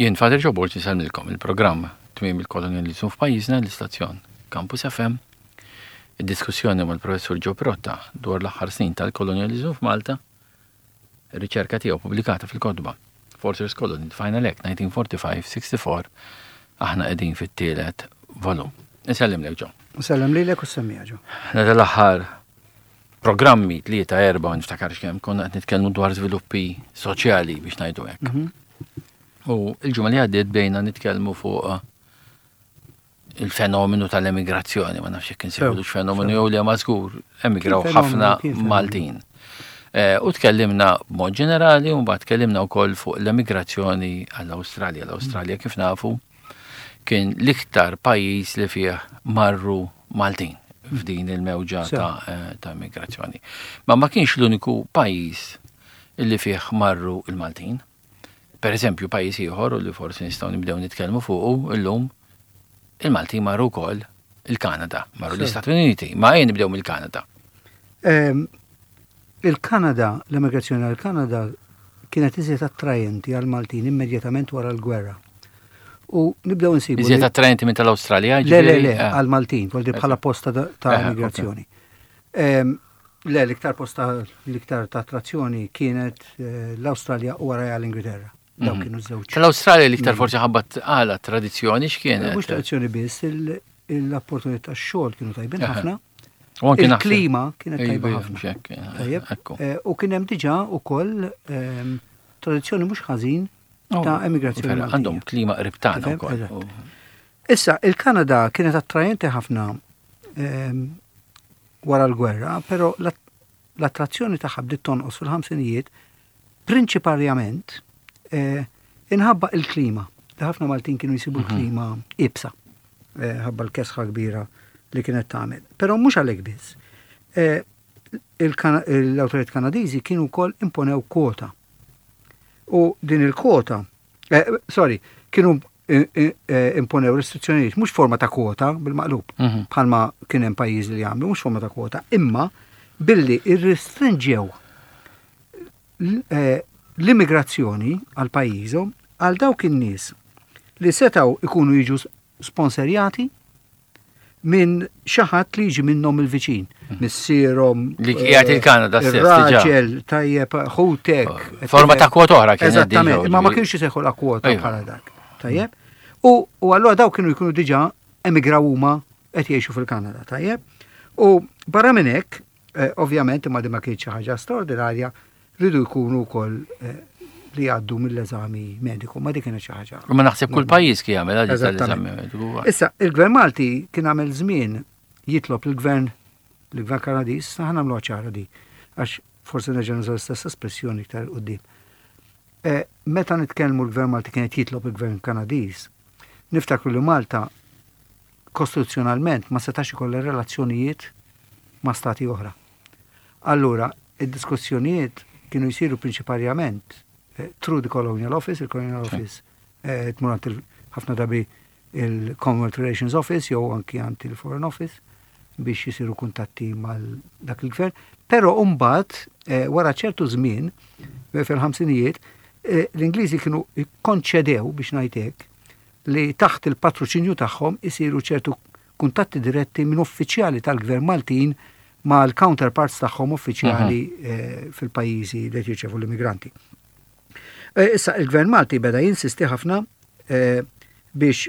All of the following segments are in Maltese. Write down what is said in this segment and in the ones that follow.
Jien Father Joe Borg insellmilkom il-programm Tmiem il-Kolonjaliżmu f'pajjiżna l-istazzjon Campus FM. Id-diskussjoni mal-Professur Joe Pirotta dwar l-aħħar snin tal-kolonjaliżmu f'Malta, ir-riċerka tiegħu pubblikata fil-kotba Fortress Colony, The Final Act 1945-64, aħna qegħdin fit-tielet volum. Insellimlek Joe. Insellem lilek u semmija Joe. Meta l-aħħar programmi tlieta erba' ma niftakarx kemm konna qed nitkellmu dwar żviluppi soċjali biex ngħidu hekk. Mhm. U l-ġimgħa li għaddiet bejna nitkellmu fuq eh, il-fenomenu tal-emigrazzjoni, ma nafx jekk insejħulux fenomenu jew li ma żgur emigraw ħafna Maltin. Eh, u tkellimna b'mod ġenerali u mbagħad tkellimna wkoll fuq l-emigrazzjoni għall-Awstralja. L-Awstralja kif nafu kien l-iktar pajjiż li fih marru Maltin f'din il-mewġa ta', eh, ta immigrazzjoni. Ma ma kienx l-uniku pajjiż li fih marru il-Maltin. Per eżempju, pajjiż ieħor u li forsi nistgħu nibdew nitkellmu fuqu illum, il-Maltin marru wkoll il-Kanada, marru l-Istati Uniti, ma ejja nibdew mill-Kanada. Ehm, il-Kanada, l-emigrazzjoni għal-Kanada kienet iżjed attrajenti għal-Maltin immedjatament wara l-gwerra. U nibdew nsibu. Iżjed attrajenti minn tal-Awstralja? Le, le, le, eh. għal-Maltin, voldi bħala posta ta' eh, emigrazzjoni. Ehm, le, l-iktar posta l-iktar ta' attrazzjoni kienet eh, l-Awstralja u wara l-Ingilterra. Dawk mhm. kienu żewġ. Tal-Awstralja l-iktar forsi ħabbat għala tradizzjoni x'kienet? Mhux tradizzjoni biss, l-opportunità tax-xogħol kienu tajbin ħafna. Il-klima kienet tajba ħafna. Eh, u kien hemm diġà ukoll ehm, tradizzjoni mhux ħażin oh, ta' emigrazzjoni. Għandhom klima qrib tagħna wkoll. Issa, il-Kanada kienet attrajenti ħafna ehm, wara l-gwerra, però l-attrazzjoni tagħha bdiet tonqos fil-ħamsinijiet prinċiparjament eh, inħabba il-klima. Li ħafna Maltin kienu jsibu mhm. l-klima ibsa, eh, ħabba l-kesħa kbira li kienet tagħmel. Però mhux għalhekk biss. Eh, l-awtoritajiet Kanadiżi kienu wkoll imponew kwota. U din il-kwota, sorry, kienu imponew restrizzjonijiet, mhux forma ta' kwota bil-maqlub, mhm. bħalma kien hemm pajjiżi li għamlu, mhux forma ta' kwota, imma billi irrestrinġew eh, l-immigrazzjoni għal pajjiżhom għal dawk in-nies li setgħu ikunu jiġu sponsorjati minn xi ħadd li jiġi minnhom il-viċin, mhm. missierhom. Li qiegħed eh, il-Kanada stess. Raġel, tajjeb, ħutek. Oh, forma ta' kwota oħra kien. Eżattament, imma ma kienx isejħu la kwota bħala dak. Tajjeb. U allura daw kienu jkunu diġà emigraw huma qed jgħixu fil-Kanada, tajjeb. U barra minn hekk, eh, ovvjament imma di ma kienx xi ħaġa straordinarja, Riedu jkunu wkoll li jgħaddu mill-eżami mediku, ma dik kienet xi ħaġa. Ma naħseb kull pajjiż kien jagħmel għal l-eżami mediku. Issa, il-Gvern Malti kien għamel żmien jitlob lill-Gvern l-Gvern Kanadiż, issa ħa nagħmluha ċara di, għax forsi nerġa' nuża l-istess espressjoni iktar 'il quddiem. Eh, meta nitkellmu l-Gvern Malti kien qed jitlob il-Gvern Kanadiż, niftakru li Malta kostituzzjonalment ma setax ikollha relazzjonijiet ma' stati oħra. Allura, id-diskussjonijiet kienu jsiru prinċiparjament eh, through the Colonial Office, il-Colonial Office eh, tmur għand ħafna drabi il-Commonwealth Relations Office jew anki għand il-Foreign Office biex jisiru kuntatti mal dak il-gvern. Però mbagħad eh, wara ċertu żmien fil-ħamsinijiet l-Ingliżi kienu konċedew biex ngħid hekk li taħt il-patroċinju tagħhom isiru ċertu kuntatti diretti minn uffiċjali tal-gvern Maltin mal-counterparts tagħhom uffiċjali mhm. eh, fil-pajjiżi li qed jirċevu l-immigranti. Eh, issa il-gvern Malti beda jinsisti ħafna eh, biex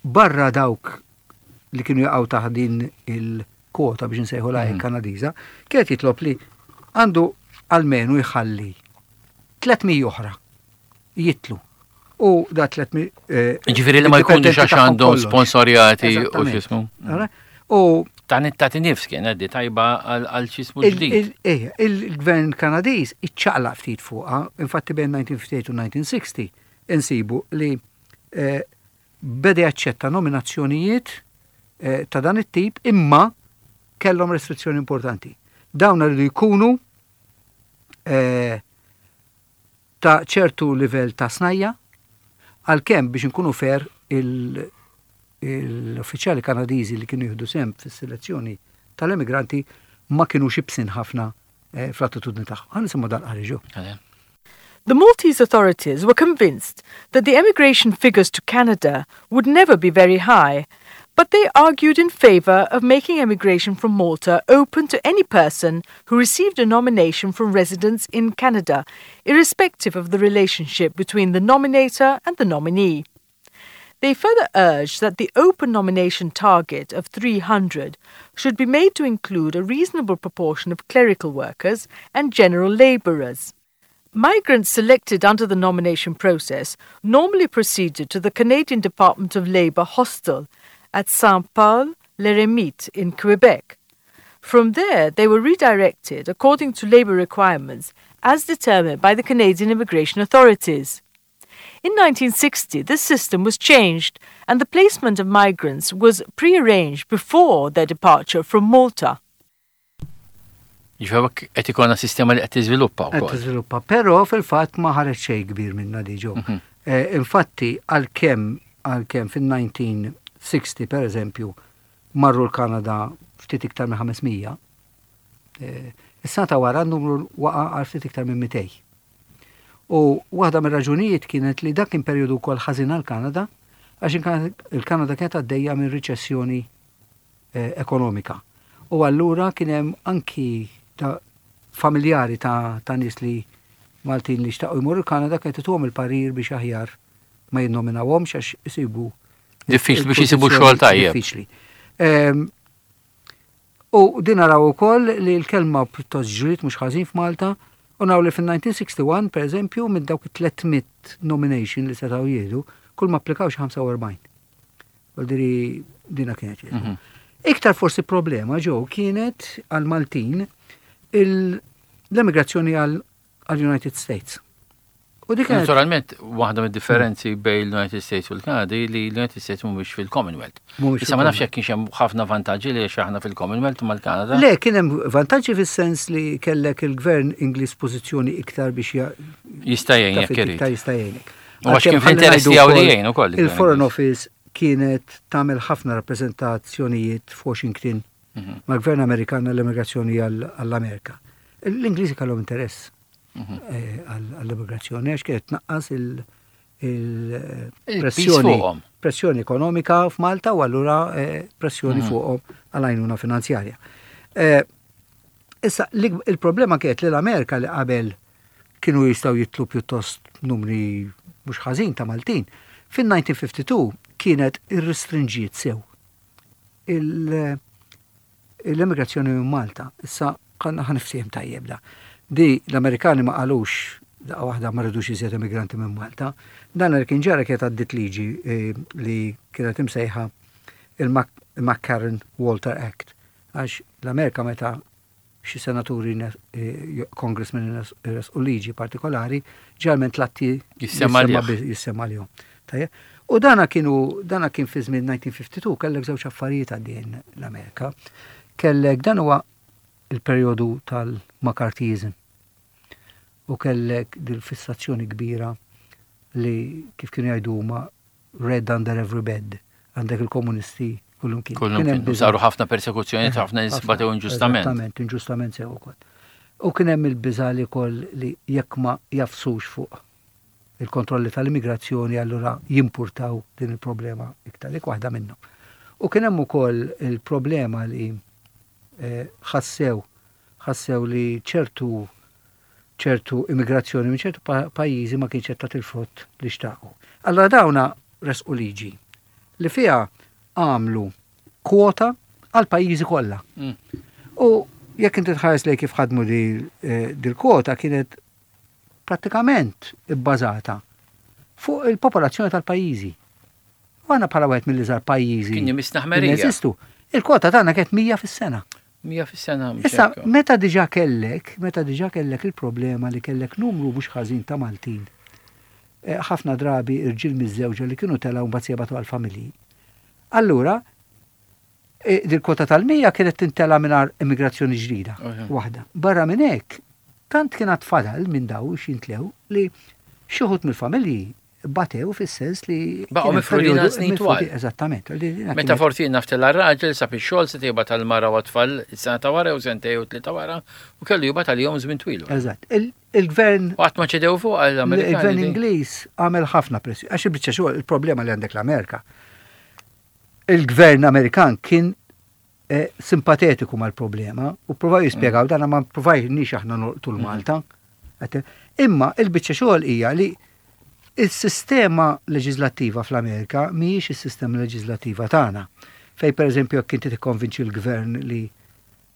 barra dawk li kienu jaqgħu taħt din il-kwota biex nsejħu lajn mhm. Kanadiża, kienet jitlob li għandu almenu jħalli 300 oħra jitlu. U da 300. Eh, Ġifieri li ma jkunux għax għandhom sponsorjati u x'ismu. U ta' ta' nifs kien għaddi tajba għal x'ismu ġdid. Eh, il-gvern Kanadiż iċċaqlaq ftit fuqha, infatti bejn 1958 u 1960 insibu li eh, beda jaċċetta nominazzjonijiet ta' dan it-tip imma kellhom restrizzjoni importanti. Dawn rridu jkunu ta' ċertu livell ta' snajja', għalkemm biex inkunu fair l-uffiċjali Kanadiżi li kienu jieħdu sehem fis-selezzjoni tal-emigranti ma kinux ibsin ħafna eh, fl-attitudni tagħhom. Ħa nisimgħu dal-qari ġew. The Maltese authorities were convinced that the emigration figures to Canada would never be very high, but they argued in favour of making emigration from Malta open to any person who received a nomination from residents in Canada, irrespective of the relationship between the nominator and the nominee. They further urged that the open nomination target of 300 should be made to include a reasonable proportion of clerical workers and general labourers. Migrants selected under the nomination process normally proceeded to the Canadian Department of Labour hostel at Saint Paul l'Eremite in Quebec. From there, they were redirected according to labour requirements as determined by the Canadian immigration authorities. In 1960, this system was changed and the placement of migrants was pre-arranged before their departure from Malta. Ġifieri qed ikollna sistema li qed tiżviluppa wkoll. Qed tiżviluppa, però fil-fatt ma ħareġ xejn kbir minnha diġò. Mhm. Eh, infatti għalkemm għalkemm fin-1960 per eżempju marru l-Kanada ftit iktar minn 500, eh, is-sena ta' wara n-numru waqa' għal ftit iktar minn 200. U waħda mir-raġunijiet kienet li dak kien perjodu wkoll ħażin għall-Kanada għax il-Kanada kienet għaddejja minn riċessjoni eh, ekonomika. U allura kien hemm anki ta' familjari ta', ta nies li Maltin li xtaqu jmorru l-Kanada kienet ituhom il-parir biex aħjar ma jinnominawhomx għax isibu Diffiċli biex isibu xogħol tajjeb. Diffiċli. Ehm, U din naraw ukoll li l-kelma pjuttost ġriet mhux ħażin f'Malta u naraw li fin-1961 per eżempju minn dawk it-300 nomination li setgħu jieħdu kull ma applikaw xi 45. Vuol dina kienet. Mhm. Iktar forsi problema ġew kienet għal Maltin l-emigrazzjoni għal għall-United States. U dik Naturalment, waħda mid-differenzi bejn l-United States u l-Kanada li l-United States mhumiex fil-Commonwealth. Issa ma nafx jekk kienx hemm ħafna vantaġġi li aħna fil-Commonwealth mal-Kanada. Le, kien hemm vantaġġi fis-sens li kellek il-gvern Ingliż pożizzjoni iktar biex jista' jgħin jekk irid. Jista' jgħinek. U għax kien fl-interess tiegħu li jgħin ukoll. Il-Foreign Office kienet tagħmel ħafna rappreżentazzjonijiet f'Washington mhm. mal-gvern Amerikan għall-immigrazzjoni għall-Amerika. L-Ingliżi kellhom interess mhm. eh, għall-immigrazzjoni għax kienet tnaqqas il-pressjoni pressjoni ekonomika f'Malta u allura eh, pressjoni mhm. fuqhom għal-għajnuna finanzjarja. Eh, issa, il-problema kienet li l-Amerika li qabel kienu jistgħu jitlu pjuttost numri mhux ħażin ta' Maltin, fin-1952 kienet irrestrinġiet sew l-immigrazzjoni minn Malta. Issa ħa niftiehem tajjeb da. Di l-Amerikani ma qalux daqqa waħda ma rridux iżjed immigranti minn Malta. Dan li kien ġara kienet għaddit liġi eh, li kienet imsejħa il-McCarran Walter Act. Għax l-Amerika meta xi senaturi, congressmen u liġi partikolari, ġalment l-atti jissemma lihom. U dana kienu, dana kien fi żmien 1952, kellek żewġ affarijiet għaddejjin l-Amerika. Kellek dan huwa il-perjodu tal-McCarthyism. U kellek dil-fissazzjoni kbira li kif kienu jgħidu huma red under every bed, għandek il-komunisti kullum kien. Kullum kien. Saru ħafna persekuzzjoni, eh, ħafna nies batew inġustament. Eżattament, inġustament sew ukoll. U kien hemm il-biża li koll li jekk ma jafsux fuq il-kontrolli tal-immigrazzjoni allura jimpurtaw din il-problema iktar, dik waħda minnhom. U kien hemm ukoll il-problema li eh, ħassew ħassew li ċertu ċertu immigrazzjoni minn ċertu pajjiżi ma kienx qed tagħti l-frott li xtaqu. Allura dawna resqu liġi li fiha għamlu kwota għal pajjiżi kollha. Mm. U jekk inti tħares lej kif ħadmu eh, dil-kwota kienet prattikament ibbażata fuq il-popolazzjoni tal-pajjiżi. U għana bħala wieħed mill-iżgħar pajjiżi. Kien jmisna Jeżistu. Il-kwota tagħna kienet 100 fis-sena. 100 fis-sena. Issa, meta diġà kellek, meta diġà kellek il-problema li kellek numru mhux ħażin ta' Maltin, eh, ħafna drabi irġiel miżżewġa li kienu telgħu mbagħad jibgħatu għall-familji. Allura, eh, dil-kwota tal-100 kienet tintela mingħajr immigrazzjoni ġdida waħda. Barra minn hekk, tant kien għad fadal minn daw x'jintlew li xi wħud mill-familji. batew fis-sens li. Baqgħu mifrudin għal snin twal. Eżattament. Meta forsi naftela raġel sab ix-xogħol se tibgħat għall-mara u tfal is-sena ta' wara jew sentej u tlieta wara u kellu jibgħat għalihom żmien twil. Eżatt. Il-gvern. U qatt ma ċedew fuq għall-Amerikani. Il-gvern Ingliż għamel ħafna pressjoni. Għax il-biċċa xogħol il-problema li għandek l-Amerika. Il-gvern Amerikan kien eh, simpatetiku mal-problema u provaw jispjegaw mm. dana ma provajniex aħna nolqtu l-Malta. Mm. Imma il-biċċa xogħol hija li il-sistema leġislattiva fl-Amerika mhijiex is-sistema leġislattiva tagħna. Fej pereżempju jekk inti tikkonvinċi l-gvern li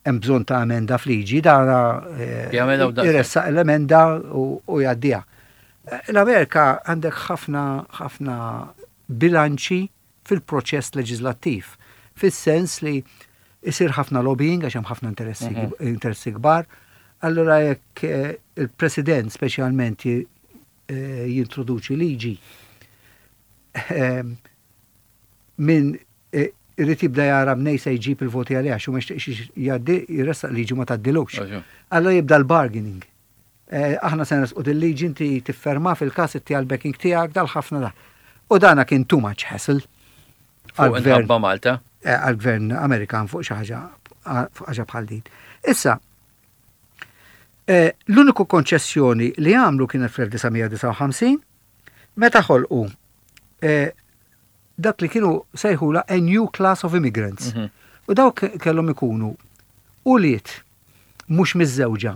hemm bżonn ta' emenda f'liġi, dana eh, jressaq l-emenda u jgħaddiha. Eh, L-Amerika għandek ħafna ħafna bilanċi fil-proċess leġislattiv, fis-sens li jsir ħafna lobbying għax hemm ħafna interessi mhm. interessi kbar. Allura jekk eh, il-President speċjalment eh, jintroduċi liġi eh, minn irrid jibda jara mnej se jġib il-voti għaliha xu ma jixtieqx jgħaddi jressaq liġi ma tgħaddilux. Allura jibda l-bargaining. Eh, aħna se nresqu dil-liġi inti tifferma fil-każ itti għal-backing tiegħek dal-ħafna da. U dana kien too much hassle. Għal-gvern Malta. Eh, għal-gvern Amerikan fuq xi ħaġa fuq ħaġa bħal din. Issa, eh, l-uniku konċessjoni li għamlu kienet fl-1959 meta ħolqu dak li kienu sejħula a new class of immigrants. Mhm. U dawk kellhom ikunu ulied mhux miżżewġa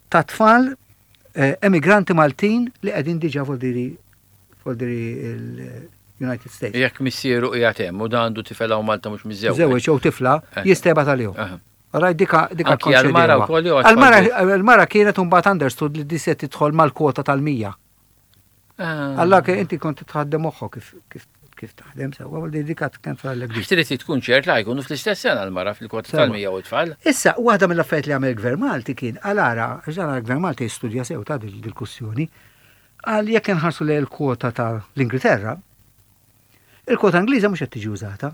ta' tfal eh, emigranti Maltin li qegħdin diġà voldiri voldiri il-United States. Jekk missieru qiegħed hemm u dan għandu tifel hawn Malta mhux miżżewweġ. Żewġ jew tifla eh. jista' jibgħat għalihom. Raj dika dika għal-mara wkoll jew għal-mara kienet imbagħad understood li di se tidħol mal-kwota tal-100. Ah. Alla ke inti kont tħaddem moħħok kif kif kif taħdem sewwa, u dik kien tfallek dik. Trid tkun ċert la jkunu fl-istess sena l-mara fil-kwota tal-100 u tfal. Issa, waħda mill-affarijiet li għamel gvern Malti kien għal ara, għax dan gvern Malti jistudja sew ta' dil-kussjoni, għal jekk inħarsu lejn il-kwota ta' l-Ingilterra, il-kwota Ingliża mhux qed tiġi użata.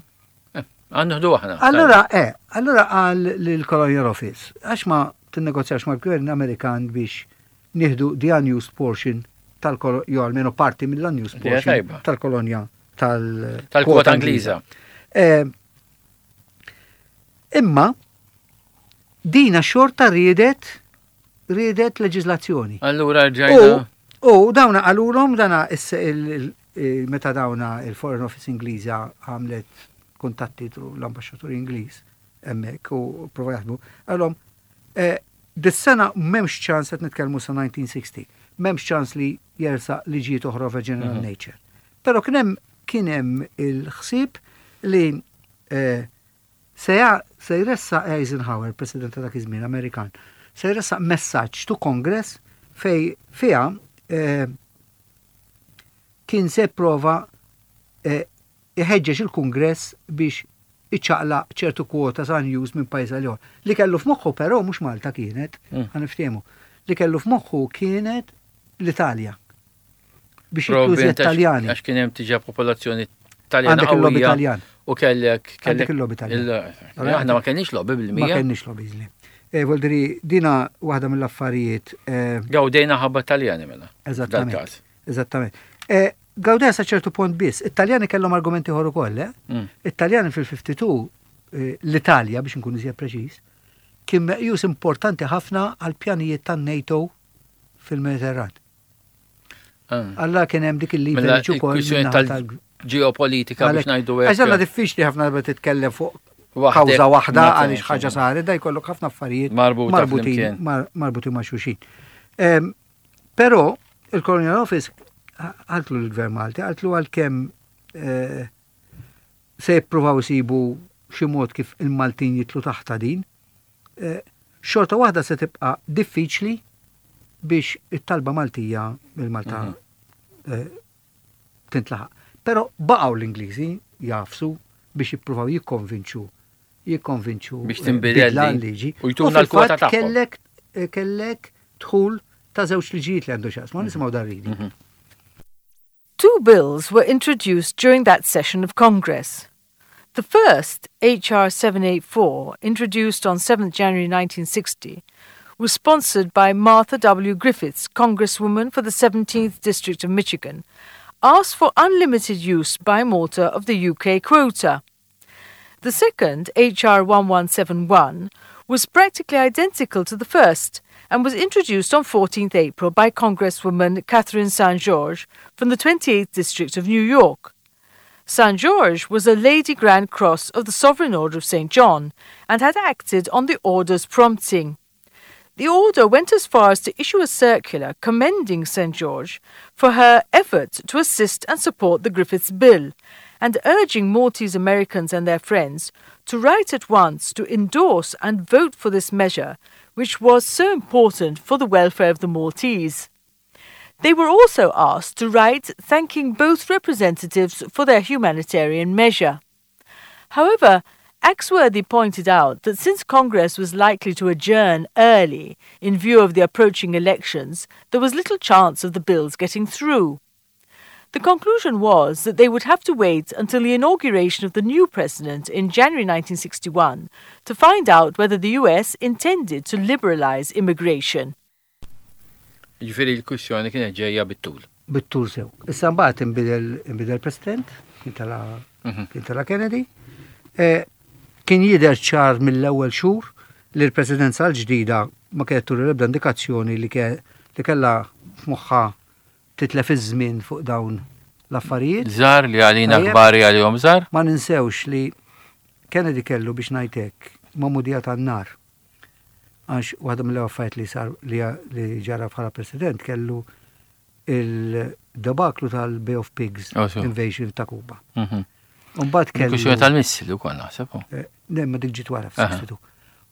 Eh, Għannuħdu aħna. Allura, eh, allura għal l-Colonial Office, għax ma tinnegozjax mal-gvern Amerikan biex nieħdu the unused portion tal-kolonja, jew almenu parti mill-unused portion tal-kolonja tal-kwota Ingliża. Eh, imma dina xorta riedet riedet leġislazzjoni. Allura ġajna. U dawna qalulhom dana meta dawna il-Foreign Office Ingliża għamlet kuntatti l-ambaxxatur Ingliż hemmhekk u prova jaħdmu, qalhom eh, Dis-sena m'hemmx ċans qed nitkellmu sa 1960. M'hemmx ċans li jersaq liġijiet oħra of a general mhm. nature. Però kien hemm kien hemm il-ħsieb li eh, se se jressaq Eisenhower, President ta' dak iż-żmien Amerikan, se jressaq messaġġ to Congress fej fiha eh, kien se prova eh, iħeġġeġ il-Kungress biex iċaqlaq ċertu kwotas unused minn pajjiż għal ieħor. Li kellu f'moħħu però mhux Malta kienet, mm. ħa niftehmu. Li kellu f'moħħu kienet l-Italja. Biex jitlu Taljani. Għax kien hemm tiġa popolazzjoni Taljana. Għandek il-lobby Taljan. U kellek kellek il-lobby Taljan. Aħna ma kellniex lobby bil-mija. Ma kellniex lobby li. Eh, Voldiri, dina waħda mill-affarijiet. Eh, Gawdejna ħabba Taljani mela. Eżattament. Eżattament. Eh, Gawdew sa ċertu punt biss. It-Taljani kellhom argumenti ieħor ukoll, eh? Mm. It-Taljani fil-52, eh, l-Italja biex nkun iżjed preċiż, kien meqjus importanti ħafna għal pjanijiet tan-NATO fil-Mediterran. Ah. Alla kien hemm dik il-leverage mela, ukoll tal-ġeopolitika biex ngħidu hekk. Għax diffiċli ħafna darba titkellem fuq kawża waħda għaliex ħaġa saret, da jkollok ħafna affarijiet marbutin marbutin ma' xulxin. Ehm, Però il-Colonial Office qaltlu l-Gvern Malti, qaltlu għalkemm eh, se jippruvaw isibu xi mod kif il-Maltin jitlu taħta din, eh, xorta waħda se tibqa' diffiċli biex it-talba Maltija mill-Malta mhm. eh, tintlaħaq. Però baqgħu l-Ingliżi jafsu biex jippruvaw jikkonvinċu jikkonvinċu biex tinbidel l-liġi. U jtuna l-kwota tagħhom. Kellek kellek dħul ta' żewġ liġijiet li għandu x'jaqsmu, nisimgħu dar reading. Mhm. Two bills were introduced during that session of Congress. The first, H.R. 784, introduced on 7 January 1960, was sponsored by Martha W. Griffiths, Congresswoman for the 17th District of Michigan, asked for unlimited use by Malta of the UK quota. The second, HR 1171, was practically identical to the first and was introduced on 14th April by Congresswoman Catherine St. George from the 28th District of New York. St. George was a Lady Grand Cross of the Sovereign Order of St. John and had acted on the order's prompting. The order went as far as to issue a circular commending St. George for her efforts to assist and support the Griffiths Bill and urging Maltese Americans and their friends to write at once to endorse and vote for this measure, which was so important for the welfare of the Maltese. They were also asked to write thanking both representatives for their humanitarian measure. However, Axworthy pointed out that since Congress was likely to adjourn early in view of the approaching elections, there was little chance of the bills getting through. The conclusion was that they would have to wait until the inauguration of the new president in January 1961 to find out whether the US intended to liberalize immigration. Jiġifieri l-kwistjoni kienet ġejja bit-tul. Bit-tul sew. Issa mbagħad inbidel inbidel President, kien tala mhm. kien tala Kennedy. Eh, kien jidher ċar mill-ewwel xhur li l-presidenza l-ġdida ma kienet turi l-ebda indikazzjoni li kellha f'moħħha titlef iż-żmien fuq dawn l-affarijiet. Żgħar li għalina kbar għalihom żgħar. Ma ninsewx li Kennedy kellu biex ngħidlek magħmudija tan-nar. Għax waħda mill affarijiet li sar li ġara bħala president kellu il-debaklu tal-Bay of Pigs oh, invasion ta' Kuba. Mhm. Umbagħad kellu. Kwistjoni tal-missili wkoll naħseb. Oh. Eh, ne, ma dik ġiet wara f'62.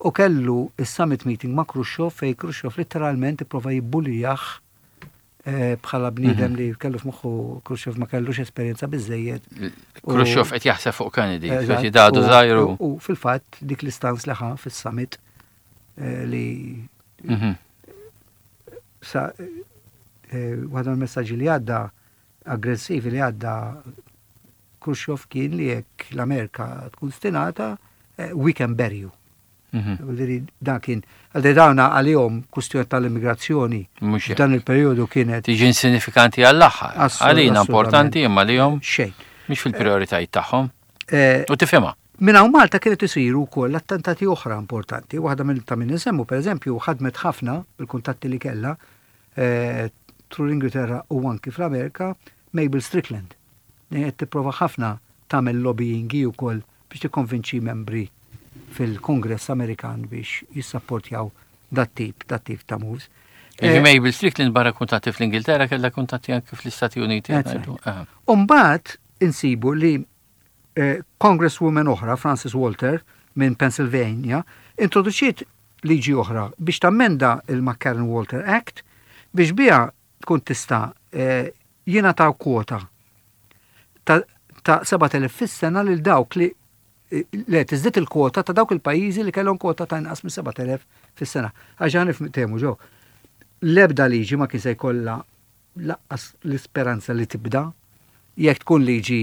U kellu is-summit meeting ma' Khrushchev fej Khrushchev literalment ipprova jibbulijah eh, bħala bniedem mhm. li kellu f'moħħu Khrushchev ma kellux esperjenza biżejjed. Khrushchev qed jaħseb fuq Kennedy, speċi dadu żgħiru. U fil-fatt dik l-istanz li ħa fis-summit eh, li mhm. sa eh, waħda mill-messaġġi li għadda aggressivi li għadda Khrushchev kien li jekk l-Amerika tkun stinata, we can bury you. Mhm. Dan kien, għaldi dawna għalihom kustjoni tal-immigrazzjoni. Mhux Dan il-perjodu kienet. Tiġi insinifikanti għall-aħħar. Għalina importanti imma għalihom. Xejn. Mhix fil-prijoritajiet tagħhom. Eh, U tifhimha. Minn hawn Malta kienet isiru wkoll attentati oħra importanti. Waħda minn ta' min insemmu, pereżempju, ħadmet ħafna bil-kuntatti li kellha eh, through l-Ingilterra u anki fl-Amerika, Mabel Strickland. Qed tipprova ħafna tagħmel lobbying hi wkoll biex tikkonvinċi membri fil-Kongress Amerikan biex jissapportjaw dat-tip, dat-tip ta' moves. Jiġi eh, Mabel Strickland barra kuntatti fl-Ingilterra kellha kuntatti anke fl-Istati Uniti. Umbagħad insibu li eh, Congresswoman oħra, Frances Walter, minn Pennsylvania, introduċiet liġi oħra biex tammenda il-McCarran-Walter Act biex biha tkun tista' eh, jingħataw kwota ta' 7,000 fis-sena lil dawk li le tiżdied il-kwota ta' dawk il-pajjiżi li kellhom kwota ta' inqas minn 7,000 fis-sena. Għax ħa niftehmu ġo. L-ebda liġi ma kien se jkollha laqqas l-isperanza li tibda jekk tkun liġi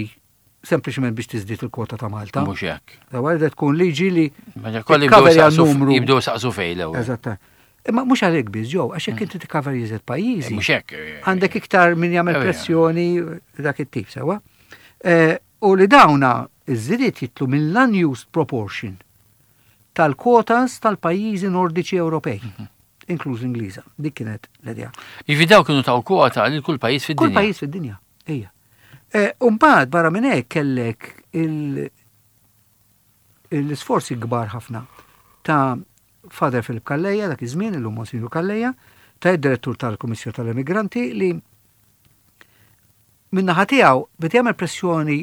sempliċement biex tiżdied il-kwota ta' Malta. Mhux hekk. Dawar tkun liġi li tikkaverja numru. Jibdew saqsu fejn l-ewwel. Eżatt. Imma mhux għalhekk biss ġew, għax jekk mm. inti tikkaver jiżed pajjiżi. Mhux hekk. Eh, għandek iktar min jagħmel eh, pressjoni dak it-tip sewwa. Eh, u li dawna iż-żidiet jitlu mill-unused proportion tal-quotas tal-pajjiżi nordiċi Ewropej. Mhm. Inkluż l-Ingliża. Dik kienet l-idea. Jiġifieri daw kienu taw kwota lil kull pajjiż fid-dinja. Kull pajjiż fid-dinja, ejja. Eh, Umbagħad barra minn hekk kellek l-isforzi kbar ħafna ta' Father Philip Calleja, dak iż-żmien illum Monsignor Calleja, ta' id-direttur tal-Kummissjoni tal-Immigranti li minnaħa tiegħu beda jagħmel pressjoni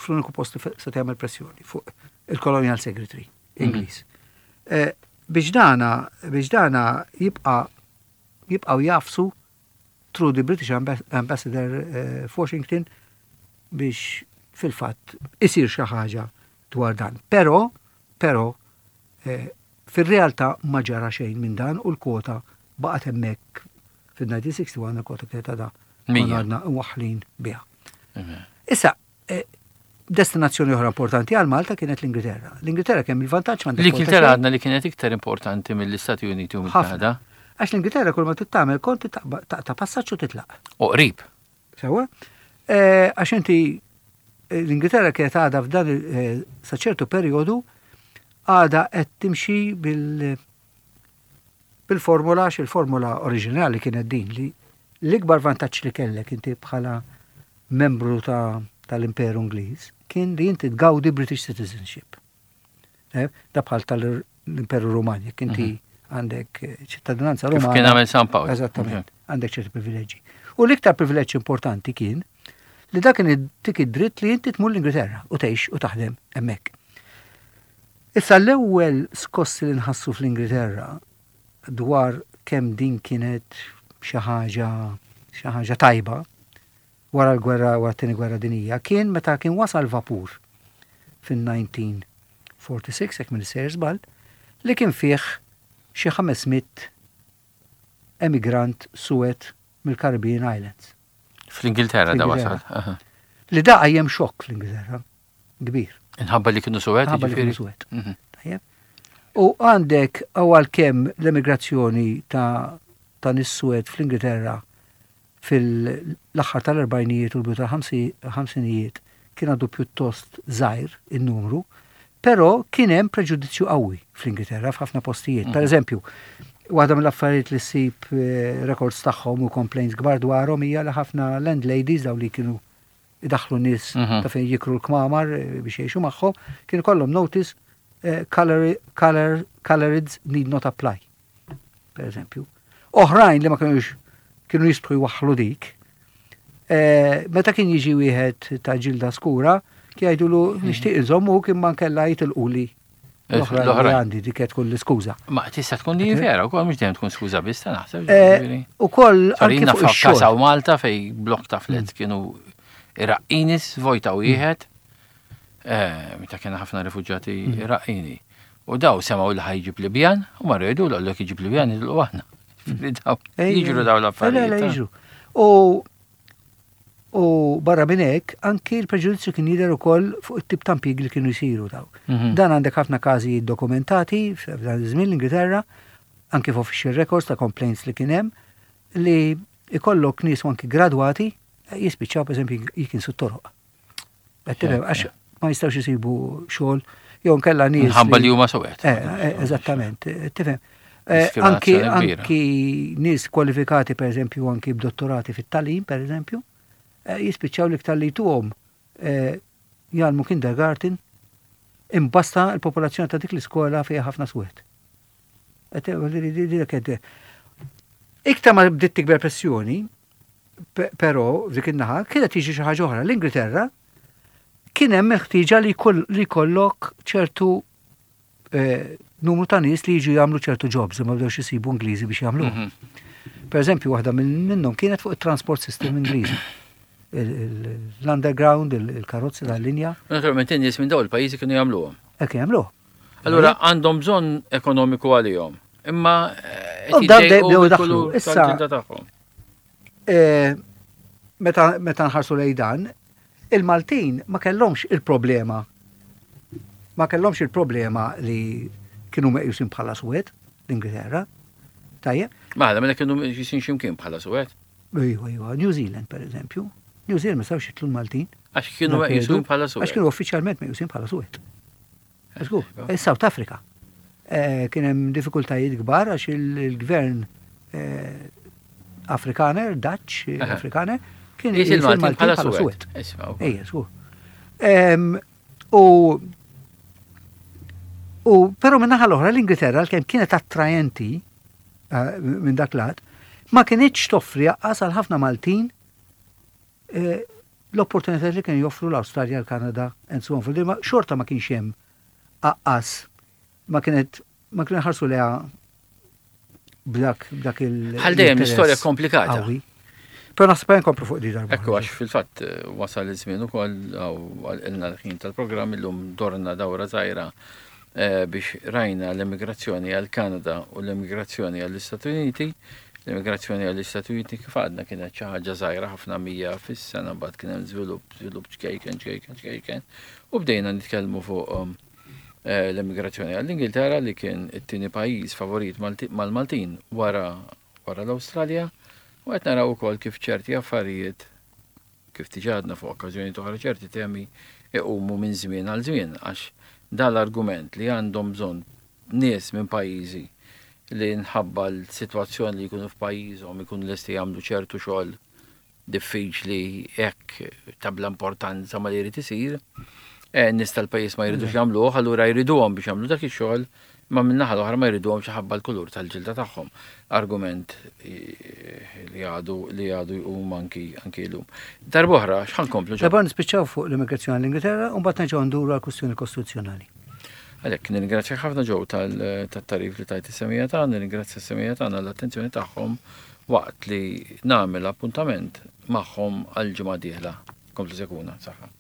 fl-uniku post li se jagħmel pressjoni fuq il-Colonial Secretary Ingliż. Eh, biex dana biex dana jibqa' jibqgħu jafsu through the British Ambassador eh, f'Washington biex fil-fatt isir xi ħaġa dwar dan. Però, però, eh, fir-realtà ma ġara xejn minn dan u l-kwota baqgħet hemmhekk fil-1961 il-kwota kienet għadha għadna waħlin biha. Issa, eh, destinazzjoni oħra importanti għal Malta kienet l-Ingilterra. L-Ingilterra kemm il-vantaġġ m'għandek. L-Ingilterra għadna li kienet iktar importanti mill-Istati Uniti u mill-Kanada. Għax l-Ingilterra kull ma tittamel kont taqta' passaġġ u titlaq. U qrib. Sewa. Għax inti l-Ingilterra kienet għadha f'dan sa ċertu perjodu għadha qed timxi bil bil-formula għax il-formula oriġinali kienet din li l-ikbar vantaġġ li kellek inti bħala membru ta' tal-Imperu Ingliż kien li inti tgawdi British citizenship. Eh, da bħal tal-Imperu Ruman, jekk inti mhm. għandek eh, ċittadinanza Rumana. Kien għamel San Pawl. Eżattament, għandek ċerti privileġġi. U l-iktar privileġġ importanti kien li dak kien dik id-dritt li inti tmur l-Ingilterra u tgħix u taħdem hemmhekk. Issa l-ewwel skossi li nħassu fl-Ingilterra dwar kemm din kienet xi ħaġa xi ħaġa tajba wara l-gwerra wara t-tieni gwerra dinija kien meta kien wasal vapur fin-1946 jekk m'iniex sejjer żball li kien fih xi 500 emigrant suwed mill-Caribbean Islands. Fl-Ingilterra da wasal. Li da qajjem xokk fl-Ingilterra kbir. Inħabba li kienu suwed? Inħabba li kienu suwed. Mhm. Tajjeb. U għandek għalkemm l-emigrazzjoni ta' ta' nies suwed fl-Ingilterra fil-aħħar tal-erbgħinijiet u l-bidu tal-ħamsinijiet kien għadu pjuttost żgħir in-numru, però kien hemm preġudizzju qawwi fl-Ingilterra f'ħafna postijiet. Per mhm. eżempju, waħda mill-affarijiet li ssib eh, records tagħhom u complaints kbar dwarhom hija li ħafna landladies daw li kienu idaħlu nies mhm. ta' fejn jikru l-kmamar eh, biex jgħixu magħhom, kienu kollhom notice eh, color, color, colorids need not apply. Per eżempju. Oħrajn li ma kienux kienu jistħu jwaħħlu dik. Eh, meta kien jiġi wieħed ta' ġilda skura, kien jgħidulu mhm. nixtieq inżommu kien ma nkella jitilquli l-oħra għandi dik qed tkun l-iskuża. Ma tista' tkun li vera wkoll mhux dejjem tkun skuża biss ta' naħseb. Eh, ukoll anke fuq ix-xogħol. Malta fej blok ta' flets mm. kienu Iraqqinis vojta mm. wieħed eh, meta kien ħafna rifuġġati mm. Iraqini. U daw semgħu li ħajġib Libjan u marru jgħidu l jekk iġib Libjan jidlu aħna. Jiġru daw l-affarijiet. Jiġru. U U barra minn hekk, anki l-preġudizzju kien jidher ukoll fuq it-tip ta' impjiegi li kienu jsiru daw. Mhm. Dan għandek ħafna każijiet dokumentati f'dan iż-żmien l-Ingilterra, anki f'official records ta' complaints li kien hemm, li ikollok nies anki gradwati eh, jispiċċaw pereżempju jikinsu t-toroq. Għax ma jistgħux isibu xogħol jew nkella nies. Ħabba li huma sowet. Eh, eh, eżattament, tifhem. Anki anki nies kwalifikati pereżempju anki b'dottorati fit-talim pereżempju, jispiċċaw l-iktar li jtuhom jgħallmu kindergarten imbasta l-popolazzjoni ta' dik l-iskola fiha ħafna swed. Iktar ma bdiet tikber pressjoni, però f'dik in-naħa kienet tiġi xi ħaġa oħra. L-Ingilterra kien hemm il-ħtieġa li jkollok ċertu eh, numru ta' nies li jiġu jagħmlu ċertu jobs li ma bdewx isibu Ingliżi biex jagħmlu. Mhm. Per eżempju, waħda minnhom kienet fuq it-transport system Ingliżi. L-underground, il-karozzi tal-linja. Naturalment in-nies minn dawn il-pajjiżi kienu jagħmluhom. Hekk jagħmluh. Allura għandhom bżonn ekonomiku għalihom. Imma eh, qed jgħidu daħlu. Issa eh, meta nħarsu lejn dan, il-Maltin ma kellhomx il-problema ma kellhomx il-problema li kienu meqjusin bħala suwed l-Ingilterra. Tajjeb. Ma mela kienu meqjusin x'imkien bħala suwed. Iva, iva, New Zealand per eżempju. New Zealand ma sawx jitlu l-Maltin. Għax kienu meqjusin bħala suwed. Għax kienu uffiċjalment meqjusin bħala suwed. Żgur, South Africa. Eh, kien hemm diffikultajiet kbar għax il-gvern eh, Afrikaner, Dutch eh, Afrikaner, kien il-Maltin bħala suwed. Ejja, żgur. U U però minn naħa l-oħra l-Ingilterra l-kemm kienet attrajenti minn dak lat, ma kienitx toffri aqqas għal ħafna Maltin l-opportunitajiet li kienu joffru l-Awstralja, l-Kanada, and so on. Fil xorta ma kienx hemm aqqas ma kienet ma kienu ħarsu leha b'dak b'dak il. Bħal dejjem l-istorja komplikata. Però naħseb nkomplu fuq di darba. Ekku għax fil-fatt eh, wasal iż-żmien ukoll għalqilna l-ħin tal-programm illum dorna dawra żgħira eh, biex rajna l-emigrazzjoni għall-Kanada u l-emigrazzjoni għall-Istati Uniti. L-emigrazzjoni għall-Istati Uniti kif għadna kienet xi ħaġa żgħira ħafna 100 fis-sena mbagħad kien hemm żvilupp, żvilupp ċkejken, ċkejken, ċkejken. U bdejna nitkellmu fuq um, eh, l-emigrazzjoni għall-Ingilterra li kien it-tieni pajjiż favorit mal-Maltin wara wara l-Awstralja u qed naraw ukoll kif ċerti affarijiet Kif diġà għadna fuq okkażjonijiet oħra ċerti temi iqumu minn żmien għal żmien għax dan l-argument li għandhom bżonn nies minn pajjiżi li nħabba l-sitwazzjoni li jkunu f'pajjiżhom ikunu lesti jagħmlu ċertu xogħol diffiċli hekk ta' bla importanza ma li jrid isir, eh, nies tal-pajjiż ma jridux jagħmluh, allura jriduhom biex jagħmlu dak ix-xogħol, ma min-naħa l-oħra ma jriduhomx ħabba l-kulur tal-ġilda tagħhom. Argument eh, li għadu li għadu jqum anki anki llum. Darb'oħra x'ħa nkomplu ġo? Darba nispiċċaw fuq l-immigrazzjoni l-Ingilterra u mbagħad nerġgħu nduru għall-kwistjoni kostituzzjonali. Għalhekk nirringrazzja ħafna Joe tat-tagħrif li tajt is-semija tagħna, nirringrazzja s-semija tagħna l-attenzjoni tagħhom waqt li nagħmel appuntament magħhom għal ġimgħa dieħla. Komplu seguna, saħħa.